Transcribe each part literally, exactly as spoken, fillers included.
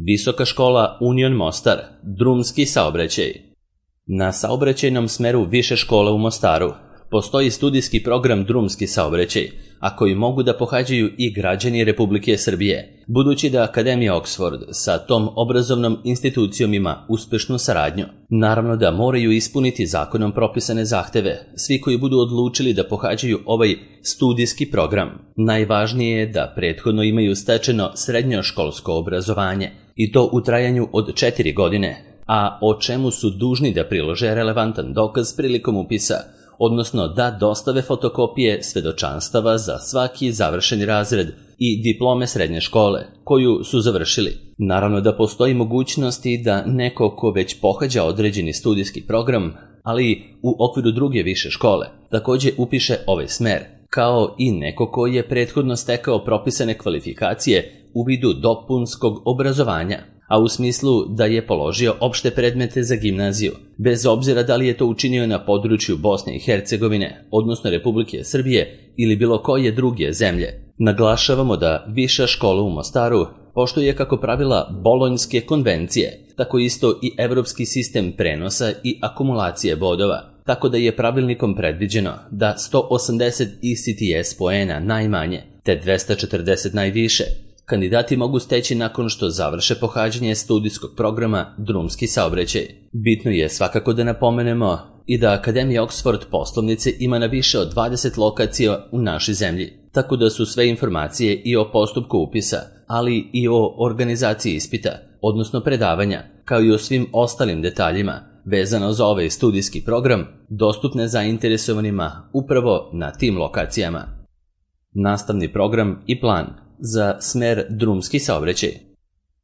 Visoka škola Union Mostar, drumski saobraćaj. Na saobraćajnom smeru Više škole u Mostaru postoji studijski program drumski saobraćaj, a koji mogu da pohađaju i građani Republike Srbije, budući da Akademija Oxford sa tom obrazovnom institucijom ima uspešnu saradnju. Naravno da moraju ispuniti zakonom propisane zahteve svi koji budu odlučili da pohađaju ovaj studijski program. Najvažnije je da prethodno imaju stečeno srednjoškolsko obrazovanje, i to u trajanju od četiri godine, a o čemu su dužni da prilože relevantan dokaz prilikom upisa, odnosno da dostave fotokopije svedočanstava za svaki završeni razred i diplome srednje škole koju su završili. Naravno da postoji mogućnosti da neko ko već pohađa određeni studijski program, ali u okviru druge više škole, takođe upiše ovaj smer, kao i neko ko je prethodno stekao propisane kvalifikacije u vidu dopunskog obrazovanja, a u smislu da je položio opšte predmete za gimnaziju, bez obzira da li je to učinio na području Bosne i Hercegovine, odnosno Republike Srbije ili bilo koje druge zemlje. Naglašavamo da Viša škola u Mostaru poštuje kako pravila Bolonjske konvencije, tako isto i evropski sistem prenosa i akumulacije bodova, tako da je pravilnikom predviđeno da sto osamdeset E C T S poena najmanje, te dvesta četrdeset najviše, kandidati mogu steći nakon što završe pohađanje studijskog programa drumski saobraćaj. Bitno je svakako da napomenemo i da Akademija Oxford poslovnice ima na više od dvadeset lokacija u našoj zemlji, tako da su sve informacije i o postupku upisa, ali i o organizaciji ispita, odnosno predavanja, kao i o svim ostalim detaljima vezano za ovaj studijski program, dostupne zainteresovanima upravo na tim lokacijama. Nastavni program i plan za smer drumski saobraćaj.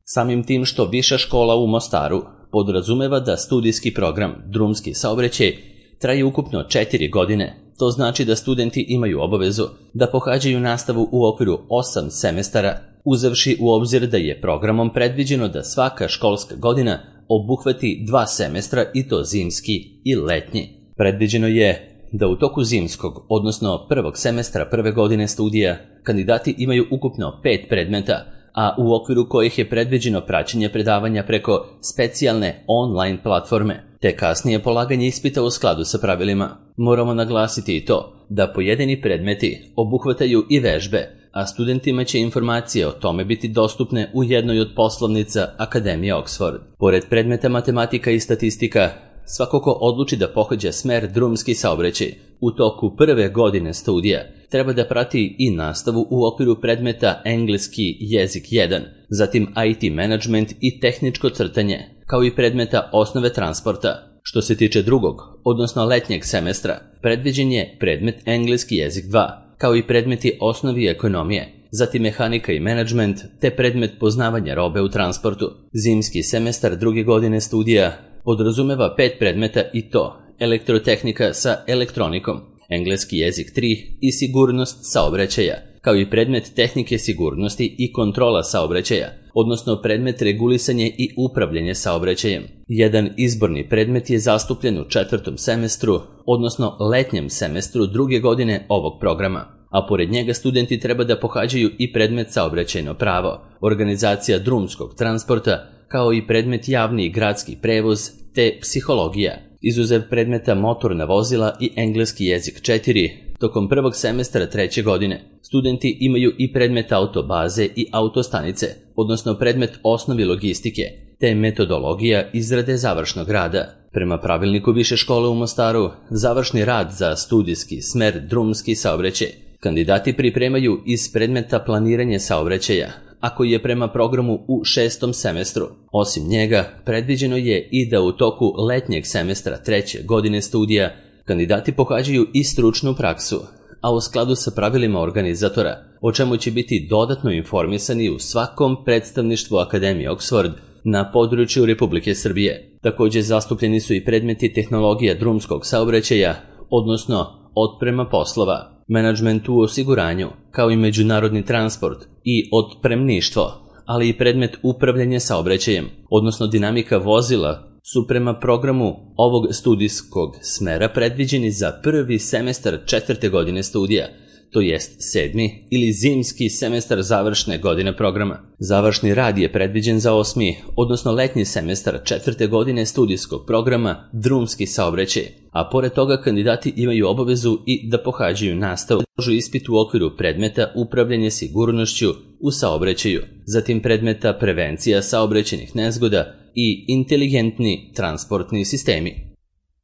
Samim tim što Viša škola u Mostaru podrazumeva da studijski program drumski saobraćaj traje ukupno četiri godine, to znači da studenti imaju obavezu da pohađaju nastavu u okviru osam semestara, uzevši u obzir da je programom predviđeno da svaka školska godina obuhvati dva semestra, i to zimski i letnji. Predviđeno je da u toku zimskog, odnosno prvog semestra prve godine studija, kandidati imaju ukupno pet predmeta, a u okviru kojih je predviđeno praćenje predavanja preko specijalne online platforme, te kasnije polaganje ispita u skladu sa pravilima. Moramo naglasiti i to da pojedini predmeti obuhvataju i vežbe, a studentima će informacije o tome biti dostupne u jednoj od poslovnica Akademije Oxford. Pored predmeta matematika i statistika, svako ko odluči da pohađa smer drumski saobraćaj u toku prve godine studija treba da prati i nastavu u okviru predmeta engleski jezik jedan, zatim I T management i tehničko crtanje, kao i predmeta osnove transporta. Što se tiče drugog, odnosno letnjeg semestra, predviđen je predmet engleski jezik dva, kao i predmeti osnovi ekonomije, zatim mehanika i menadžment, te predmet poznavanja robe u transportu. Zimski semestar druge godine studija podrazumeva pet predmeta, i to elektrotehnika sa elektronikom, engleski jezik tri i sigurnost saobraćaja, kao i predmet tehnike sigurnosti i kontrola saobraćaja, odnosno predmet regulisanje i upravljanje saobraćajem. Jedan izborni predmet je zastupljen u četvrtom semestru, odnosno letnjem semestru druge godine ovog programa, a pored njega studenti treba da pohađaju i predmet saobraćajno pravo, organizacija drumskog transporta, kao i predmet javni i gradski prevoz, te psihologija. Izuzev predmeta motorna vozila i engleski jezik četiri, tokom prvog semestra treće godine, studenti imaju i predmet autobaze i autostanice, odnosno predmet osnovi logistike, te metodologija izrade završnog rada. Prema pravilniku Više škole u Mostaru, završni rad za studijski smer drumski saobraćaj kandidati pripremaju iz predmeta planiranje saobraćaja, a koji je prema programu u šestom semestru. Osim njega, predviđeno je i da u toku letnjeg semestra treće godine studija kandidati pohađaju i stručnu praksu, a u skladu sa pravilima organizatora, o čemu će biti dodatno informisani u svakom predstavništvu Akademije Oxford na području Republike Srbije. Takođe zastupljeni su i predmeti tehnologija drumskog saobraćaja, odnosno otprema poslova, menadžment u osiguranju, kao i međunarodni transport i otpremništvo, ali i predmet upravljanja saobraćajem, odnosno dinamika vozila, su prema programu ovog studijskog smera predviđeni za prvi semestar četvrte godine studija, to jest sedmi ili zimski semestar završne godine programa. Završni rad je predviđen za osmi, odnosno letnji semestar četvrte godine studijskog programa drumski saobraćaj, a pored toga kandidati imaju obavezu i da pohađaju nastavu, položu ispit u okviru predmeta upravljanje sigurnošću u saobraćaju, zatim predmeta prevencija saobraćajnih nezgoda i inteligentni transportni sistemi.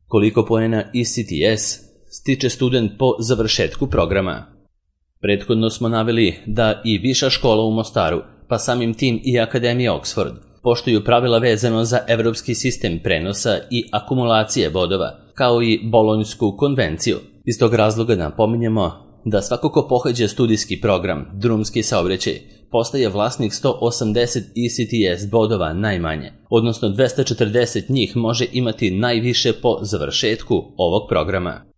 Koliko poena E C T S stiče student po završetku programa? Prethodno smo naveli da i Viša škola u Mostaru, pa samim tim i Akademija Oxford, poštuju pravila vezano za evropski sistem prenosa i akumulacije bodova, kao i Bolonjsku konvenciju. Iz tog razloga napominjemo da svako ko pohađa studijski program drumski saobraćaj postaje vlasnik sto osamdeset E C T S bodova najmanje, odnosno dvesta četrdeset njih može imati najviše po završetku ovog programa.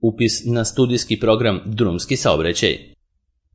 Upis na studijski program drumski saobraćaj.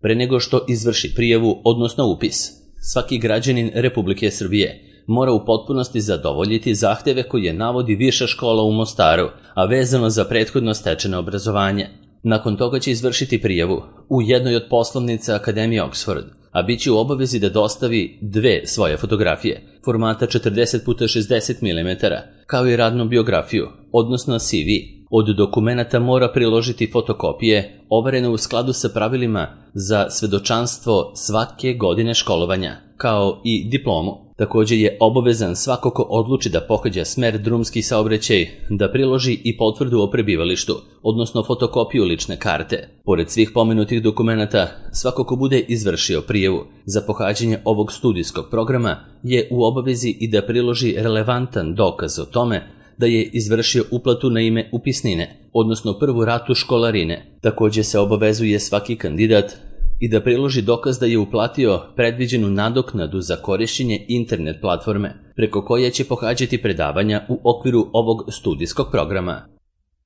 Pre nego što izvrši prijavu, odnosno upis, svaki građanin Republike Srbije mora u potpunosti zadovoljiti zahteve koje navodi Viša škola u Mostaru, a vezano za prethodno stečeno obrazovanje. Nakon toga će izvršiti prijavu u jednoj od poslovnica Akademije Oxford, a bit će u obavezi da dostavi dve svoje fotografije, formata četrdeset puta šezdeset milimetara, kao i radnu biografiju, odnosno C V. Od dokumenata mora priložiti fotokopije, overene u skladu sa pravilima za svedočanstvo svake godine školovanja, kao i diplomu. Također je obavezan svako ko odluči da pohađa smer drumski saobraćaj da priloži i potvrdu o prebivalištu, odnosno fotokopiju lične karte. Pored svih pomenutih dokumenata, svako ko bude izvršio prijavu za pohađanje ovog studijskog programa je u obavezi i da priloži relevantan dokaz o tome da je izvršio uplatu na ime upisnine, odnosno prvu ratu školarine. Također se obavezuje svaki kandidat i da priloži dokaz da je uplatio predviđenu nadoknadu za korišćenje internet platforme, preko koje će pohađati predavanja u okviru ovog studijskog programa.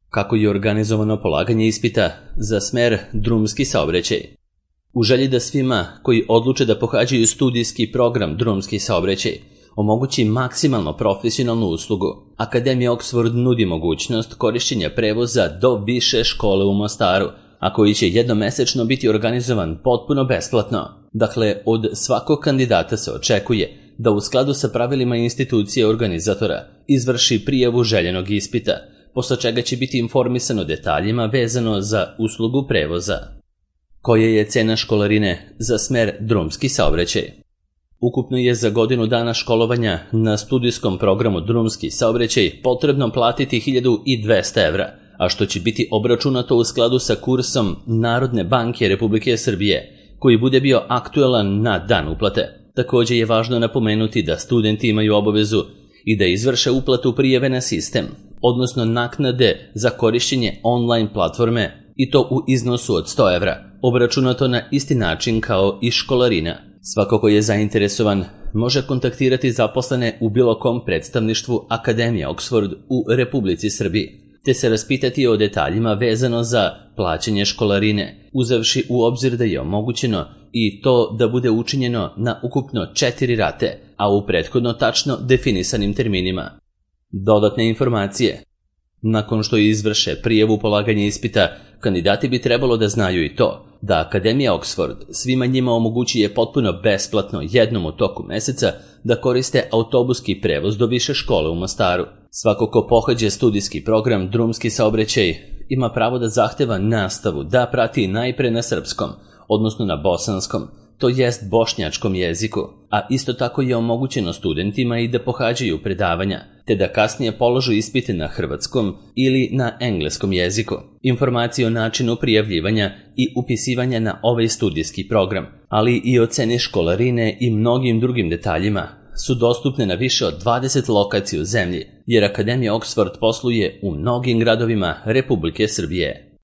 Kako je organizovano polaganje ispita za smer drumski saobraćaj? U želji da svima koji odluče da pohađaju studijski program drumski saobraćaj omogući maksimalno profesionalnu uslugu, Akademija Oxford nudi mogućnost korišćenja prevoza do Više škole u Mostaru, a koji će jednomesečno biti organizovan potpuno besplatno. Dakle, od svakog kandidata se očekuje da u skladu sa pravilima institucije organizatora izvrši prijavu željenog ispita, posle čega će biti informisan o detaljima vezano za uslugu prevoza. Koja je cena školarine za smer drumski saobraćaj? Ukupno je za godinu dana školovanja na studijskom programu drumski saobraćaj potrebno platiti hiljadu dvesta evra, a što će biti obračunato u skladu sa kursom Narodne banke Republike Srbije, koji bude bio aktuelan na dan uplate. Također je važno napomenuti da studenti imaju obavezu i da izvrše uplatu prijave na sistem, odnosno naknade za korišćenje online platforme, i to u iznosu od sto evra, obračunato na isti način kao i školarina. Svako ko je zainteresovan može kontaktirati zaposlene u bilo kom predstavništvu Akademije Oxford u Republici Srbiji, te se raspitati o detaljima vezano za plaćanje školarine, uzevši u obzir da je omogućeno i to da bude učinjeno na ukupno četiri rate, a u prethodno tačno definisanim terminima. Dodatne informacije. Nakon što izvrše prijavu polaganja ispita, kandidati bi trebalo da znaju i to da Akademija Oxford svima njima omogućuje potpuno besplatno jednom u toku meseca da koriste autobuski prevoz do Više škole u Mostaru. Svako ko pohađa studijski program drumski saobraćaj ima pravo da zahteva nastavu da prati najpre na srpskom, odnosno na bosanskom, to jest bošnjačkom jeziku, a isto tako je omogućeno studentima i da pohađaju predavanja, te da kasnije položu ispite na hrvatskom ili na engleskom jeziku. Informacije o načinu prijavljivanja i upisivanja na ovaj studijski program, ali i o ceni školarine i mnogim drugim detaljima, su dostupne na više od dvadeset lokacija u zemlji, jer Akademija Oxford posluje u mnogim gradovima Republike Srbije.